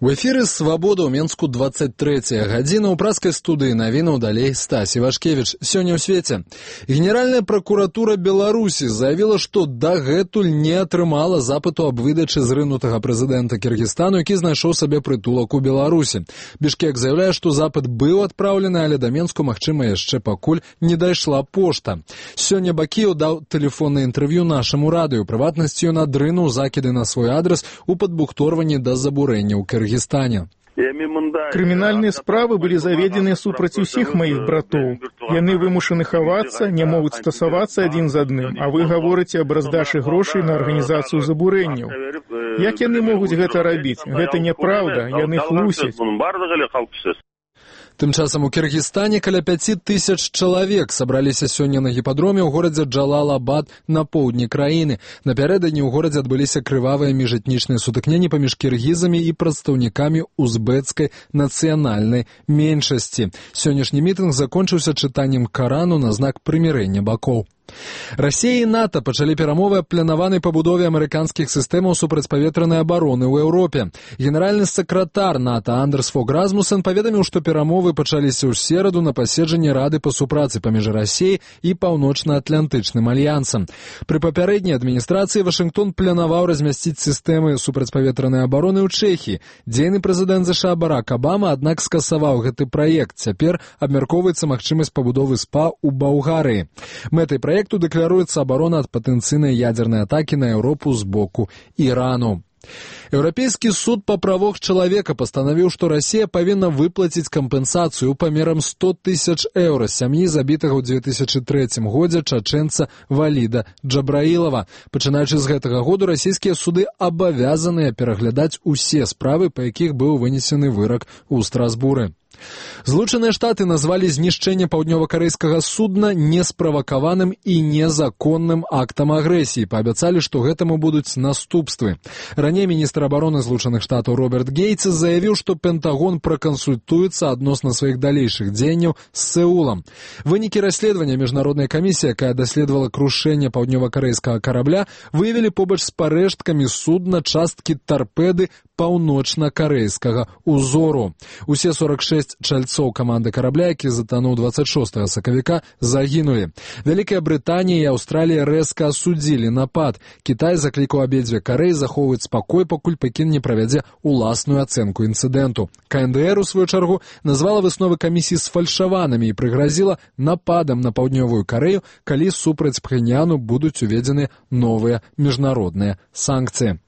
У эфіры «Свабода» ў Менску 23-я гадзіна. У праскай студыі навінаў далей Стась Івашкевіч. Сёння ў свеце. Генеральная пракуратура Беларусі заявіла, што дагэтуль не атрымала запыту аб выдачы зрынутага прэзідэнта Кіргізстану, які знайшоў сабе прытулак у Беларусі. Бішкек заяўляе, што запыт быў адпраўлены, але да Менску, магчыма, яшчэ пакуль не дайшла пошта. Сёння Бакіеў даў тэлефоннае інтэрв'ю нашаму радыё. Прыватнасці ён адрынуў закіды на свой адрас у падбухторванні да забурэння ў Кіргізстане. Крымінальныя справы былі заведзены супраць усіх маіх братоў. Яны вымушаны хавацца, не могуць стасавацца адзін з адным, а вы гаворыце аб раздачы грошай на арганізацыю забурэнняў. Як яны могуць гэта рабіць? Гэта няпраўда, яны хлусяць. Тым часам у Кіргізстане каля 5000 чалавек сабраліся сёння на гіпадроме ў горадзе Джалал-Абад на поўдні краіны. Напярэдадні ў горадзе адбыліся крывавыя міжэтнічныя сутыкненні паміж кіргізамі і прадстаўнікамі узбэцкай нацыянальнай меншасці. Сённяшні мітынг закончыўся чытаннем Карану на знак прымірэння бакоў. Расія і НАТО пачалі перамовы аб планаванай пабудове амерыканскіх сістэмаў супрацьпаветранай абароны ў Еўропе. Генеральны сакратар НАТО Андерс Фог Расмуссен паведаміў, што перамовы пачаліся ў сераду на паседжанні Рады па супрацы паміж Расіяй і Паўночна-Атлантычным альянсам. Пры папярэдняй адміністрацыі Вашынгтон планаваў размясціць сістэмы супрацьпаветранай абароны ў Чэхіі. Дзейны прэзідэнт ЗША Барак Абама, аднак, скасаваў гэты праект. Цяпер абмяркоўваецца магчымасць пабудовы СПА ў Балгарыі. Мэтай праекту дэкларуецца абарона ад патэнцыйнай ядзернай атакі на Еўропу з боку Ірану. Еўрапейскі суд па правах чалавека пастанавіў, што Расія павінна выплаціць кампенсацыю памерам 100 000 еўра сям'і забітага ў 2003 годзе чачэнца Валіда Джабраілава. Пачынаючы з гэтага году расійскія суды абавязаныя пераглядаць усе справы, па якіх быў вынесены вырак у Страсбуры. Злучаныя Штаты назвалі знішчэнне паўднёва-карэйскага судна несправакаваным і незаконным актам агрэсіі. Паабяцалі, што гэтаму будуць наступствы. Раней міністр абароны Злучаных Штатаў Роберт Гейтс заявіў, што Пентагон пракансультуецца адносна сваіх далейшых дзеянняў з Сеулам. Вынікі расследавання міжнароднай камісіі, якая даследавала крушэнне паўднёва-карэйскага карабля, выявілі побач з парэшткамі судна часткі тарпеды паўночна-карэйскага узору. Усе 46 чальцоў каманды карабля, які затануў 26 сакавіка, загінулі. Вялікая Брытанія і Аўстралія рэзка асудзілі напад. Кітай заклікаў абедзве Карэі захоўваць спакой, пакуль Пекін не правядзе уласную ацэнку інцыдэнту. КНДР, у сваю чаргу, назвала высновы камісіі сфальшаванымі і прыгразіла нападам на Паўднёвую Карэю, калі супраць Пхеньяну будуць уведзены новыя міжнародныя санкцыі.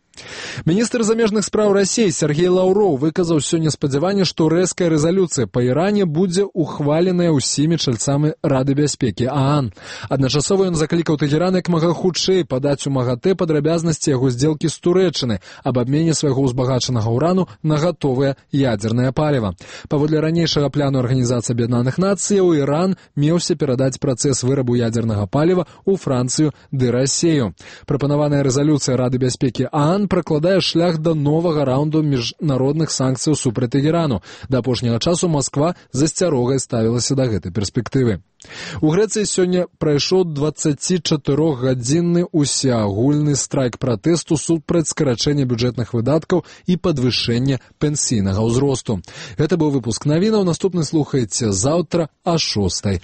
Міністр замежных спраў Расіі Сергей Лаўроў выказаў сёння спадзяванне, што рэзкая рэзалюцыя па Іране будзе ухваленая ўсімі чальцамі Рады бяспекі ААН. Адначасова ён заклікаў Тэгеран як мага хутчэй падаць у МАГАТЭ падрабязнасці яго здзелкі з Турэччыны аб абмене свайго ўзбагачанага ўрану на гатовае ядзернае паліва. Паводле ранейшага плану Арганізацыі Аб'яднаных Нацыяў, Іран меўся перадаць працэс вырабу ядзернага паліва ў Францыю ды Расію. Прапанаваная рэзалюцыя Рады бяспекі ААН пракладае шлях да новага раунду міжнародных санкцыяў супраць Ірану. Да апошняга часу Масква з асцярогай ставілася да гэтай перспектывы. У Грэцыі сёння прайшоў 24-гадзінны усеагульны страйк пратэсту супраць скарачэння бюджэтных выдаткаў і падвышэння пенсійнага ўзросту. Гэта быў выпуск навінаў. Наступны слухаеце заўтра о 6:00.